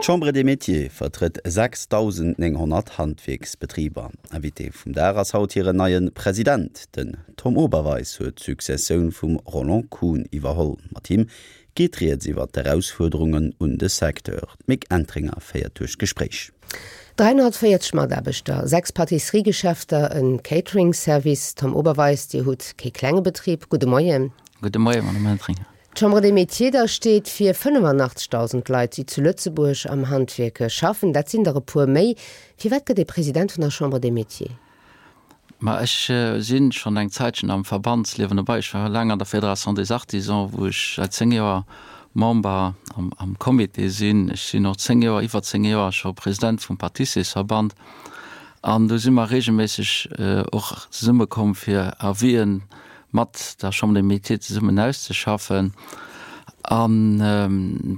D'Chambre des Métiers vertrëtt 6.900 Handwierksbetriber. Invité vum Dag ass haut hiren neie President. Den Tom Oberweis huet d'Successioun vum Roland Kuhn iwwerholl. Mat him geet rieds iwwer d'Erausfuerderungen un de Secteur. D'Mick Entringer féiert duerch d'Gespréich. 340 Mataarbechter, 6 Pâtisserie-Geschäfter, e Catering-Service. Tom Oberweis, Dir hutt kee klenge Betrib. Gudde Moien. Gudde Moien, Madame Entringer. D'Chambre des Métiers da steet fir 85.000 Leit, déi zu Lëtzebuerg am Handwierk schaffen. Dat sinn der e puer méi. Firwat gëtt ee President vun der Chambre des Métiers? Ma ech si schonn eng Zäitchen am Verbandsliewen dobei. Ech war laang an der Fédération des Artisans, wou ech säit 10 Joer Member am Comité sinn. Ech sinn och 10 Joer, iwwer 10 Joer scho President vum Pâtissiersverband. An do si mer reegelméisseg och zesummekomm fir Avisen mat der Chambre des Métiers zesummen auszeschaffen. An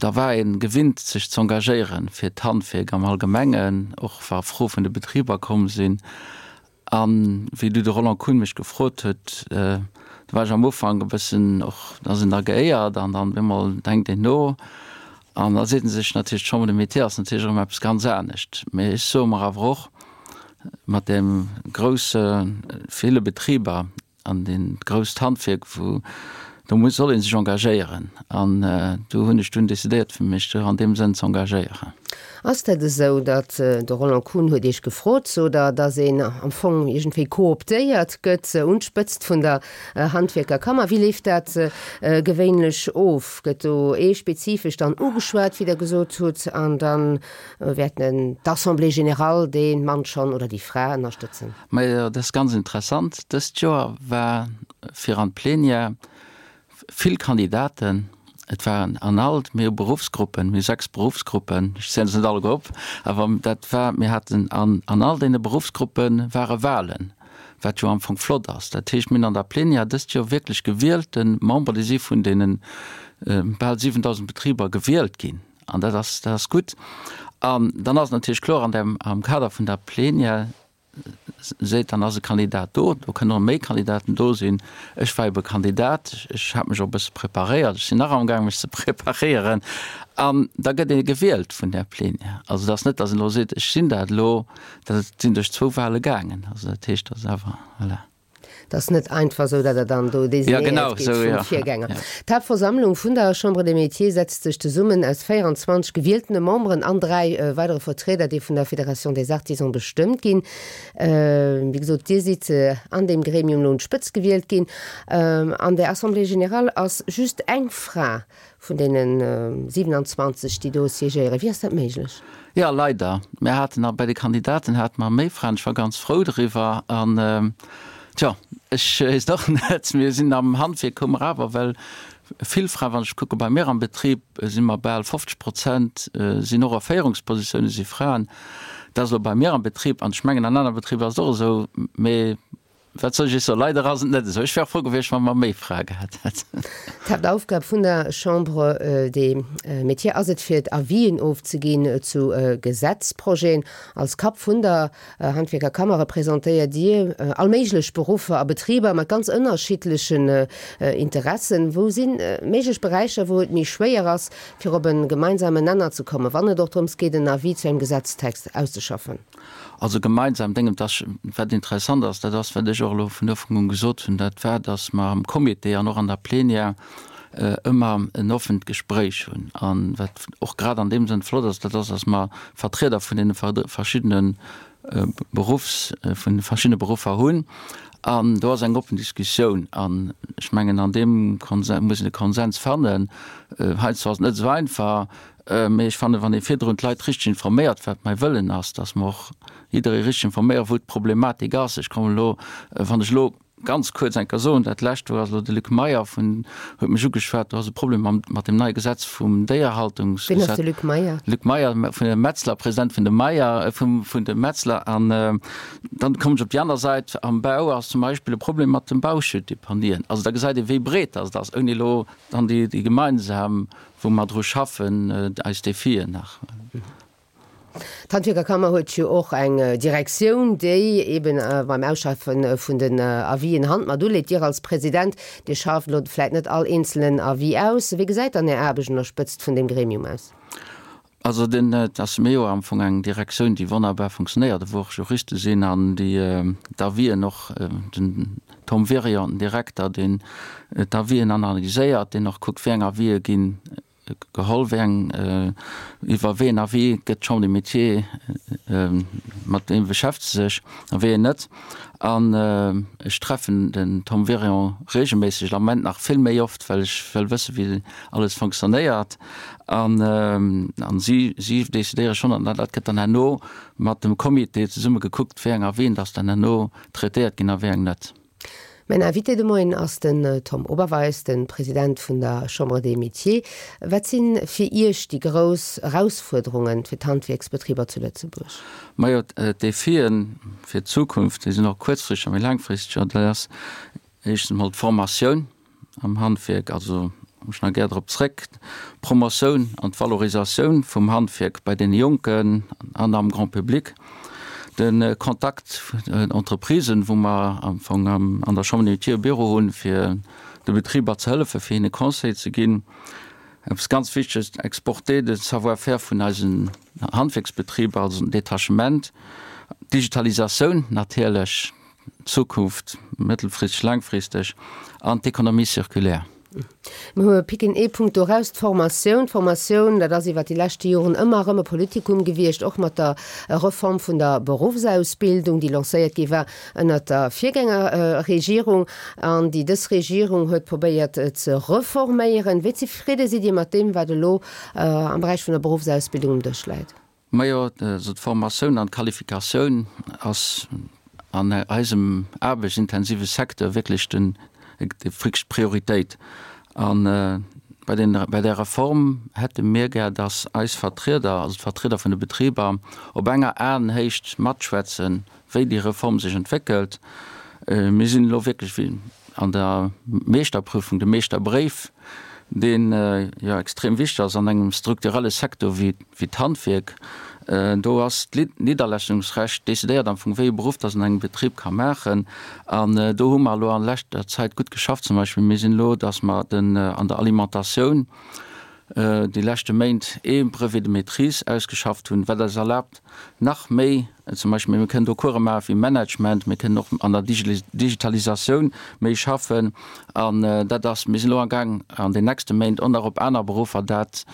da war ee gewinnt sech z'engagéieren fir d'Handwierk am Allgemengen, och wa Froe vun de Betriber komm sinn. A wéi du de Roland Kuhn mech gefrot huet, do war ech am Ufank e bëssen och, da ass een da geéiert an dann op eemol denkt een no an da seet ee sech natierlech, d'Chambre des Métiers ass natierlech erëm eppes ganz anescht. Mee ech soe mer awer och, mat deem grousse ville Betriber, An deen grousst Handwierk, wou, do muss, soll ee sech engagéieren. An do hunn ech dunn decidéiert, fir mech do an deem Sënn ze engagéieren. Ass dat esou, datt, de Roland Kuhn huet Iech gefrot, sot Der, datt een am Fong iergendwéi cooptéiert gëtt un d'Spëtzt vun der Handwierkerkammer? Wéi leeft dat gewéinlech of? Gëtt do ee spezifesch dann ugeschwat, wéi Der gesot hutt, an da wäert d'Assemblée générale dee Mann schonn oder déi Fra ënnerstëtzen? Majo, dat ass ganz interessant. Dëst Joer war fir an d'Plenière vill Kandidaten. Et waren an all, mir hu Beruffsgruppen, mir hu 6 Beruffsgruppen, ech zielen se net alleguer op, awer dat war, mir haten an an all deene Beruffsgruppe ware Wahlen, wat jo am Fong flott ass. Dat heescht, mir hunn an der Plenière dëst Joer wierklech gewielte Member, déi si vun deene bal 7.000 Betriber gewielt ginn. An dat ass, dat ass gutt. An dann ass et natierlech kloer, an dem, am Kader vun der Plenière, seet, dann ass e Kandidat do, do kënnen och méi Kandidaten do sinn. Ech war ebe Kandidat, ech hat mech och e bësse preparéiert, ech sinn nach amgaang mech ze preparéieren an da gëtt ee gewielt vun där Plenière. Also et ass net, datt een elo seet, ech sinn dat elo, dat sinn duerch zwou Wahle gaangen. Also dat heescht, dat ass awer, voilà. Et ass net einfach esou, datt Der dann do designéiert gitt vum Virgänger. D'Haaptversammlung vun der Chambre des Métiers setzt sech zesummen aus 24 gewieltene Memberen an 3 weidere Vertrieder, déi vun der Fédération des Artisans bestëmmt ginn. Wéi gesot, Dir sidd an deem Gremium elo un d'Spëtzt gewielt ginn. An der Assemblée générale ass just eng Fra Vun deene 27, déi do siégéieren. Wéi ass dat méiglech? Jo, leider. Mir haten nach bei de Kandidaten hate mer méi Fraen. Ech war ganz frou driwwer. An, tjo, ech weess et och net. Mir sinn am Handwierk hu mer awer well vill Fraen. Wann ech kucke bei mir am Betrib, si mer bal 50 Prozent sinn och a Féierungspositioune si Fraen. Dat ass elo bei mir am Betrib an ech mengen an anere Betriber ass et och esou. Mee Wat soll ech Iech soen, leider ass et net esou. Ech wär frou gewiescht, wa mer méi Frae gehat hätten. D'Haaptaufgab vun der Chambre des Métiers ass et, fir d'Avisen ofzeginn zu Gesetzprojeten. Als Kapp vun der Handwierkerkammer representéiert Dir all méiglech Beruffer a Betriber mat ganz ënnerschiddlechen Interessen. Wou si méiglech Beräicher, wou et méi schwéier ass, fir op e gemeinsamen Nenner ze kommen, wann et och drëms geet, en Avis zu engem Gesetztext auszeschaffen? Also gemeinsam Déngen, dass, wat interessant ass, dat ass, wat ech och elo vun Ufank un gesot hunn, dat war, dass mer am Comité an och an der Plenière ëmmer en offent Gespréich hunn. A wat och grad an deem Sënn flott ass, dat ass, dass mer Vertrieder vun deene verschiddene Beruffs, vun de verschiddene Beruffer hunn. An do ass eng oppen Diskussioun. An ech mengen, an deem Konsen muss een e Konsens fannen. Heiansdo ass et net esou einfach. Mee ech fannen, wann ee virdrun d'Leit richteg informéiert, wat mäi Wëllen ass, dass mer och jidderee richteg informéieren, wou d'Problematik ass. Ech kommen elo, wann ech elo ganz kuerz eng Kéier soen, dat lescht, do ass elo de Luc Meyer vun, huet mech ugeschwat, do ass e Problem mam, mat deem neie Gesetz vum Déierhaltungsgesetz. Wien ass de Luc Meyer? Luc Meyer vun de Metzler, President vun de Meyer, vum, vun de Metzler. An dann kommen ech op déi aner Säit, am Bau ass zum Beispill e Problem mat de Bauschuttdeponien. Also da gesäit ee wéi breet dass et ass, ouni elo dann déi, déi gemeinsam wou mer dru schaffen, eis Defien nach. D'Handwierkerkammer huet jo och eng Direktioun, déi eben beim Ausschaffe vun den Avisen Hand mat uleet. Dir als President, Dir schafft elo vläit net all eenzelnen Avis aus. Wéi gesäit dann Är Aarbecht un der Spëtzt vun deem Gremium aus? Also den, et ass mir jo am Fong eng Direktioun, déi wonnerbar funktionéiert, wou och Juriste sinn an déi d'Avisen och, den Tom Wirion, den Direkter, deen d'Avisen analyséiert, deen och kuckt, wéi eng Avisë ginn geholl, wéi eng, iwwer wéi en Avis gëtt d'Chambre des Métiers, mat deem beschäftegt se sech a wéi een net. An ech treffen den Tom Wirion reegelméisseg, am Moment nach vill méi oft, well ech wëll wësse wéi alles fonctionnéiert. An an si, si decidéiere schonn, an dat gëtt dann herno mat dem Comité zesumme gekuckt, wéi eng Avisen dass dann herno traitéiert ginn a wéi eng net. Mäin Invité de Moien ass den Tom Oberweis, de President vun der Chambre des Métiers. Wat si fir Iech déi grouss Erausfuerderunge fir d'Handwierksbetriber zu Lëtzebuerg? Majo, d'Defien fir d'Zukunft, déi sinn och kuerzfristeg a méi laangfristeg. Dat ass éischtens emol d'Formatioun. Am Handwierk, also komme ech nach gär drop zréck, d'Promotioun an d'Valorisatioun vum Handwierk bei deene Jonken an am Grand public, de Kontakt vun Entreprisen, wou mer am Fong an der Chambre des Métiers e Büro hunn, fir de Betriber ze hëllefen, fir hinne Conseil ze ginn. Eppes ganz Wichteges, Exporter de Savoir-faire vun eisen Handwierksbetriber, also den Detachement, d'Digitalisatioun natierlech, Zukunft, mëttelfristeg, laangfristeg, an d'Économie circulaire. Mir picken ee Punkt do eraus, d'Formatioun. D'Formatioun, dat ass iwwert déi leschte Joren ëmmer erëm e Politikum gewiescht, och mat der Reform vun der Beruffsausbildung, déi lancéiert gi war ënnert der Virgängerregierung an déi dës Regierung huet probéiert ze reforméieren. Wéi zefridde sidd Dir mat deem, wat elo am Beräich vun der Beruffsausbildung um Dësch läit? Majo, also d'Formatioun an d'Qualifikatioun ass an eisem aarbechtsintensive Secteur wierklech den, déi wierklech Prioritéit. A bei den, bei där Reform hätte mir gär, dass eis Vertrieder, also d'Vertrieder vun de Betriber, op enger Aenhéicht matschwätzen, wéi déi Reform sech entwéckelt. Mir sinn elo wierklech wéi an der Meeschterprüfung, de Meeschterbréif, deen jo extrem wichteg ass an engem strukturelle Secteur wéi d'Handwierk. Do ass d'Nidderlassungsrecht decidéiert am Fong, wéi e Beruff dass en engem Betrib ka maachen. An do hu mer elo an leschter Zäit gutt geschafft. Zum Beispill, mir sinn elo, dass mer den an der Alimentatioun déi leschte Méint ee Brevet de maîtrise ausgeschafft hunn, wat eis erlaabt, nach méi, zum Beispill mir kënnen do Course maache wéi Management, mir kënnen och an der Digitalisatioun méi schaffen an dat ass, mir sinn elo amgaang an den nächste Méint och nach op aner Beruffer dat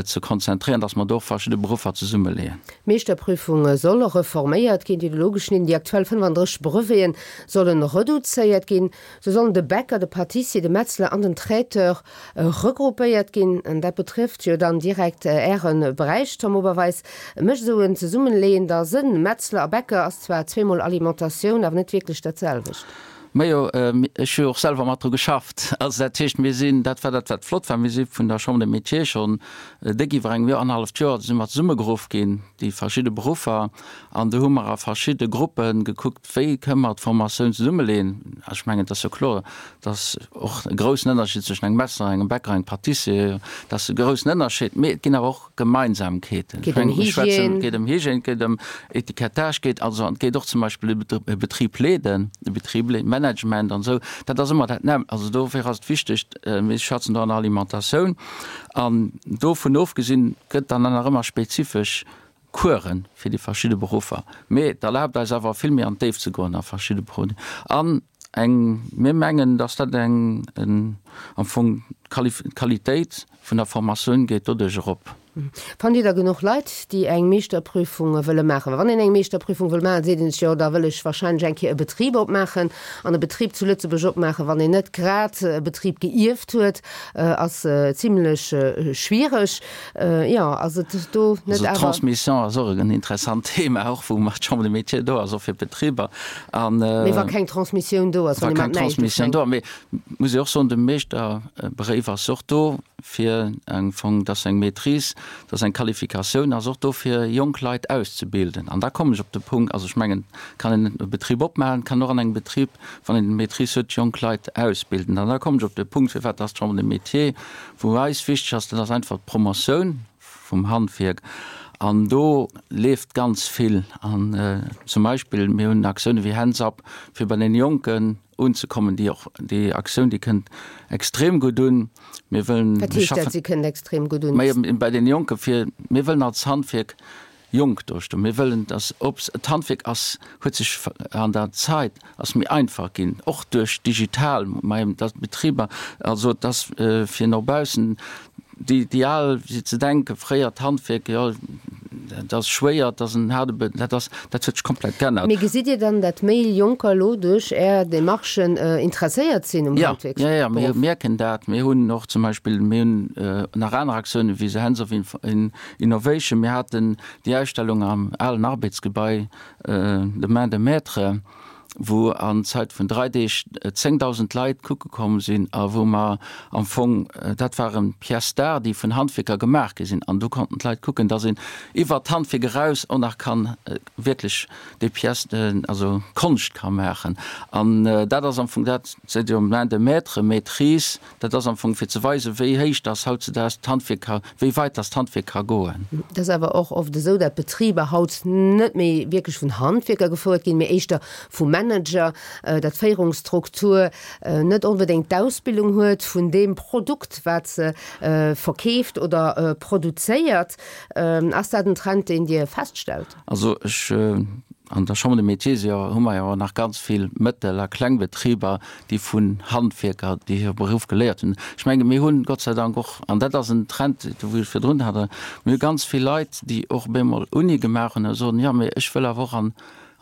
ze konzentréieren, dass mer do och verschidde Beruffer zesummeleeën. D'Meeschterprüfung soll reforméiert ginn, déi elo geschnidden, déi aktuell 35 Breveten solle reduzéiert ginn. Sou sollen de Bäcker, de Pâtissier, de Metzler an den Traiteur regroupéiert ginn. An dat betrëfft jo dann direkt Äre Beräich, Tom Oberweis. Mécht esou en Zesummenleeën da Sënn? Metzler a Bäcker ass zwar zweemol Alimentatioun, awer net wierklech dat selwecht. Majo, ech hu jo och selwer mat dru geschafft. Also dat heescht, mir sinn, dat war dat wat flott war, mir si vun der Chambre des Métiers schonn déck iwwer engem Joer, annerhalleft Joer si mer zesummegeruff ginn, déi verschidde Beruffer, an do hu mer a verschidde Gruppe gekuckt, Wéi kënne mer d'Formatioun zesummeleeën? Ech mengen, et ass jo kloer, dass och e groussen Ënnerscheed zwëschen engem Metzler, engem Bäcker, engem Pâtissier, dat ass e groussen Ënnerscheed, mee et ginn awer och Gemeinsamkeeten. Et geet ëm Hygiène. Et geet ëm Hygiène, et geet ëm Etikettage, et geet also, et geet och zum Beispill e Betrib leeden, e Betrib leeden, Management an esou. Dat ass ëmmer dat nämmlecht. Also dofir ass et wichteg, mir schwätzen do an der Alimentatioun an dovun ofgesinn gëtt dann nach ëmmer spezifesch Coursen fir déi verschidde Beruffer, mee et erlaabt eis awer vill méi an d'Déift ze goen a verschidde Produiten. An eng, mir mengen, dass dat eng, am Fong d'Qualitéit vun der Formatioun geet doduerch erop. Fannt Dir da genuch Leit, déi eng Meeschterprüfung wëlle maachen? Well wann een eng Meeschterprüfung wëll maachen, seet een sech, jo, da wëll ech wahrscheinlech eng Kéier e Betrib opmaachen. An e Betrib zu Lëtzebuerg opmaachen, wann een net grad e Betrib geierft huet, ass zimlech schwiereg. Jo, ass et do net awer. Also d'Transmission ass och en interessant Thema, och wou mat d'Chambre des Métiers do ass, och fir d'Betriber. An. Mee wa keng Transmissioun do ass, wann ee mat näischt ufänkt. Wa keng Transmissioun do ass. Mee muss ee och soen, de Meeschterbréif ass och do fir am Fong, dass eng Maîtrise, dass eng Qualifikatioun ass och do fir jonk Leit auszebilden. An da kommen ech op de Punkt, also ech mengen, kann een e Betrib opmaachen, kann och an engem Betrib, wann een d'Maîtrise huet, jonk Leit ausbilden. An da kommen ech op de Punkt, firwat dass d'Chambre des Métiers Wou eis wichteg ass, dat ass einfach d'Promotioun vum Handwierk an do leeft ganz vill. An zum Beispill, mir hunn Aktioune wéi Hands Up, fir bei deene Jonken. unzekommen. Déi och, déi Aktioun, déi kënnt extrem gutt un. Mir wëllen, Wat heescht dat, si kënnt extrem gutt un? Majo, bei deene Jonke fir, mir wëllen als Handwierk jonk dostoen. Mir wëllen, dass op, d'Handwierk ass, huet sech an der Zait ass méi einfach ginn, och duerch digital, dass d'Betriber, also dass fir no baussen déi, déi al, wéi se denken, fréier d'Handwierk, jo dat ass schwéier, dat ass en haarde Be, dat ass, dat huet sech komplett geännert. Mee gesitt Dir dann, dat méi Jonker elo duerch Är Demarchen interesséiert sinn um Handwierksberuff? Jo, jo, mir mierken dat. Mir hunn och zum Beispill, mir hunn nach aner Aktiounen, wéi se Hands of Innovation. Mir haten déi Ausstellung am alen Arbedsgebai, de Main de Maître, wou an Zait vun 3 Deeg 10.000 Leit kucke komm sinn a wou mer am Fong, dat waren Pièces d'art, déi vun Handwierker gemaach gi sinn an do konnten d'Leit kucken, dass een iwwert d'Handwierk eraus och nach kann wierklech déi Pièces, also Konscht ka maachen. An dat ass am Fong dat, seet jo Main de Maître, Maîtrise, Dat ass am Fong fir ze weisen, wéi héich dass hautzedaags d'Handwierk ka, wéi weit dass d'Handwierk ka goen. Et ass awer och oft esou, dat Betriber haut net méi wierklech vun Handwierker gefouert ginn, mee éischter vu Manager, dat d'Féierungsstruktur net onbedéngt d'Ausbildung huet vun deem Produkt, wat se verkeeft oder produzéiert. Ass dat en Trend, deen Dir feststellt? Also ech, an der Chambre des Métiers si jo, hu mer jo nach ganz vill Mëttel a Klengbetriber, déi vun Handwierker, déi hire Beruff geléiert hunn. Ech menge mir hunn Gott sei Dank och, an dat ass en Trend, do wou ech virdrun hat, mir hu ganz vill Leit, déi och op eemol Uni gemaach hunn a soen, jo mee ech wëll awer och an,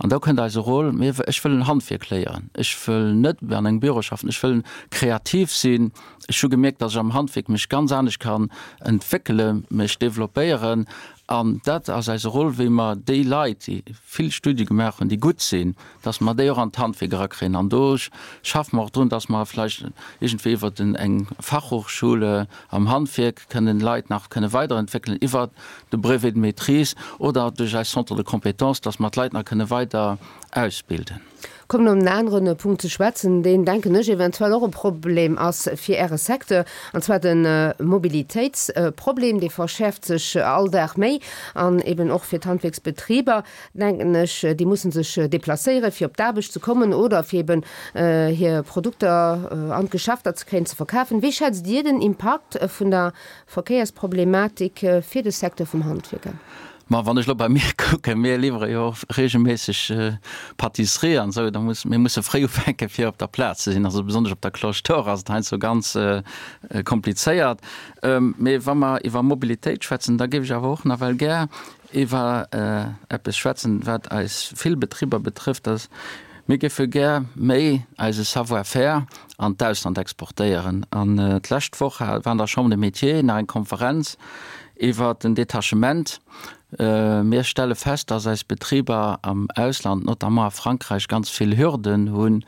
an do kënnt eise Rôle, mir, ech wëll en Handwierk léieren, ech wëll net an engem Büro schaffen, ech wëll kreativ sinn, ech hu gemierkt, datt ech am Handwierk mech ganz anescht kann entwéckelen, mech développéieren An dat ass eise Rôle, wéi mer déi Leit, déi vill Studie gemaach hunn, déi gutt sinn, dass mer déi och an d'Handwierk erakréien. An do schaffe mer och drun, dass mer vläicht iergendwéi iwwer eng Fachhochschule am Handwierk kënnen Leit nach kënne weiderentwéckelen iwwer de Brevet de maîtrise oder duerch eis Centres de compétences, dass mer d'Leit nach kënne weider ausbilden. Kommen op en anere Punkt ze schwätzen, deen, denken ech, eventuell och e Problem ass fir Äre Secteur, an zwar de Mobilitéitsproblem. Dee verschäerft sech all Dag méi an eben och fir d'Handwierksbetriber, denken ech. Déi musse sech deplacéieren, fir op d'Aarbecht ze kommen oder fir eben hir Produkter an d'Geschäfter ze kréien, ze verkafen. Wéi schätzt Dir den Impakt vun der Verkéiersproblematik fir de Secteur vum Handwierk an? Ma wann ech elo bei mir kucken, mir liwwere jo och reegelméisseg Pâtisserie an esou, da muss, mir musse fréi ufänke fir op der Plaz ze sinn. Also besonnesch op der Cloche d'Or ass et heiansdo ganz komplizéiert. Mee wa mer iwwer Mobilitéit schwätzen, da géif ech awer och nawell gär iwwer eppes schwätzen, wat eis vill Betriber betrëfft, dass mir géife gär méi eise Savoir-faire an d'Ausland exportéieren. An d'lescht Woch war an der Chambre des Métiers nach eng Konferenz iwwer den Detachement. Mir stelle fest, dass eis Betriber am Ausland, notamment a Frankräich, ganz vill Hürden hunn.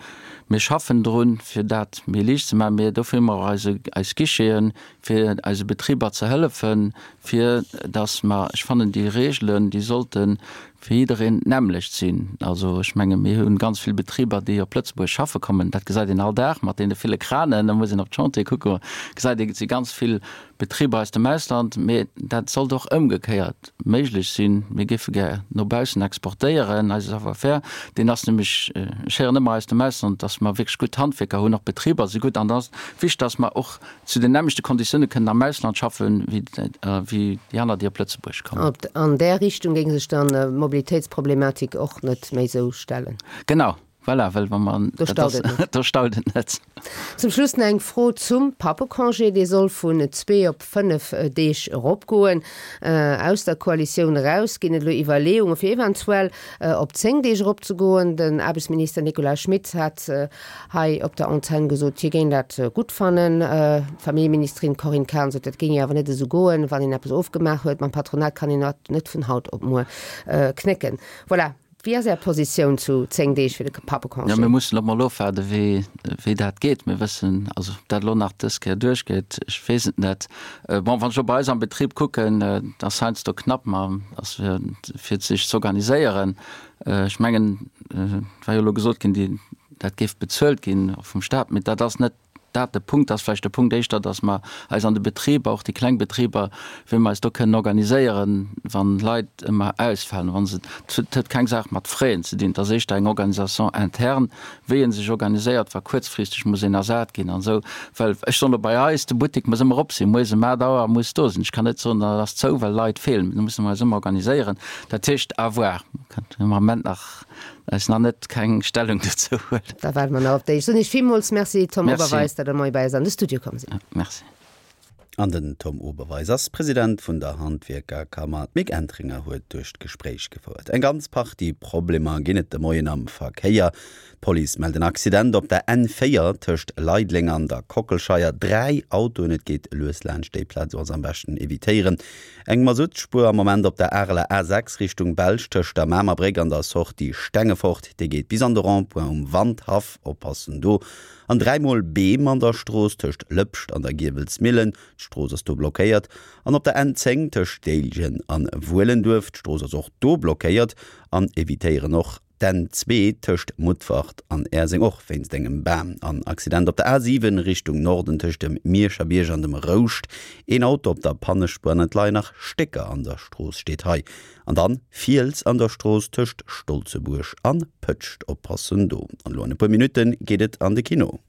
Mir schaffen drun, fir dat méi liicht ze maachen. Mee dofir hu mer och eise, eis Guicheten, fir eise Betriber ze hëllefen, fir dass mer, ech fannen déi Regelen, déi sollte fir jiddereen d'nämmlecht sinn. Also ech menge mir hu ganz vill Betriber, déi op Lëtzebuerg schaffe kommen. Dat gesäit een all Dag mat deene ville Kranen. Da muss een op d'Chantiere kucke, gesäit een, et si ganz vill Betriber aus dem Ausland. Mee dat sollt och ëmgekéiert méiglech sinn. Mir géife gär no baussen exportéieren, eise Savoir-faire. Deen ass nämlech, ech héieren ëmmer aus dem Ausland, datt mer wierklech gutt Handwierker hunn, och d'Betriber si gutt. An da ass et wichteg, datt mer och zu den nämmlechte Konditioune kënnen am Ausland schaffen, wéi déi aner, déi op Lëtzebuerg kommen. An där Richtung géing sech dann d'Mobilitéitsproblematik och net méi esou stellen. Genau, voilà, well wa mer, Do staut et net. Do staut et net. Zum Schluss nach eng Fro zum Pappecongé. Dee soll vun zwee op 5 Deeg eropgoen. Aus der Koalitioun eraus ginn et elo Iwwerleeunge fir eventuell op 10 Deeg eropzegoen. Den Aarbechtsminister Nicolas Schmit hat hei op der Antenn gesot, hie géing dat gutt fannen. D'Familljeministerin Corinne Cahen sot, dat géing jo awer net esou goen. Wann een eppes ofgemaach huet mam Patronat, kann een dat net vun haut op muer knécken. Voilà. Wéi ass Är Positioun zu 10 Deeg fir de Pappecongé? Jo, mir mussen elo mol ofwaarden, wéi, wéi dat geet. Mir wëssen, also ob dat elo nach dës Kéier duerchgeet, ech weess et net. Bon, wann ech elo bei eis am Betrib kucken, et ass heiansdo knapp, ma ass fir, fir sech z'organiséieren. Ech mengen, et war jo elo gesot ginn, déi, dat géif bezuelt ginn och vum Staat, mee dat ass net. dat de Punkt ass. Vläicht de Punkt éischter, datt mer eis an de Betriber, och déi kleng Betriber, wéi mer eis do kënnen organiséieren, wann Leit ëmmer ausfalen, wa se, et huet keng Saach mat Frais ze dinn, et ass éischter eng Organisation interne, wéi ee sech organiséiert, wa kuerzfristeg muss een ersat ginn an esou. Well ech soen elo bei eis, de Buttek muss ëmmer op sinn, moies ëm 8 Auer muss do sinn. Ech kann net soen, dat ass zou, well Leit feelen. Do musse mer eis ëmmer organiséieren. Dat heescht, à voir. Kënnt am Ament nach eis nach net keng Stellung dozou huelen. Da waarde mer nach op déi. Ech soen Iech villmools Merci, Tom Oberweis, datt Der moie bei eis an de Studio komm sidd. Merci. An den Tom Oberweis ass President vun der Handwierkerkammer. D'Mick Entringer huet duerch d'Gespréich gefouert. Eng ganz Partie Problemer ginn et de Moien am Verkéier. D'Police mellt en Accident op der N4 tëscht Leideleng an der Kockelscheier. 3 Autoen, et geet lues laanscht déi Plaz, also am beschten evitéieren. Eng Masuttspuer am Moment op der Areler A6 Richtung Belsch tëscht der Mamer Bréck an der Sortie Stengefort. Déi geet bis an de Rond-point um Wandhaff. Oppassen do. An dräimol Beem an der Strooss tëscht Lëpscht an der Giewelsmillen, d'Strooss ass do blockéiert. An op der N10 tëscht Déiljen an Wuelenduerf, d'Strooss ass och do blockéiert. An evitéieren och d'N2 tëscht Mutfert an Äerseng, och wéinst engem Bam. An Accident op der A7 Richtung Norden tëscht dem Mierscher Bierg an dem Rouscht, een Auto op der Pannespuer an et leien nach Stécker an der Strooss, steet hei. An dann Fiels an der Strooss tëscht Stolzebuerg an Pëtscht, oppassen do. An elo an e puer Minutten geet et an de Kino.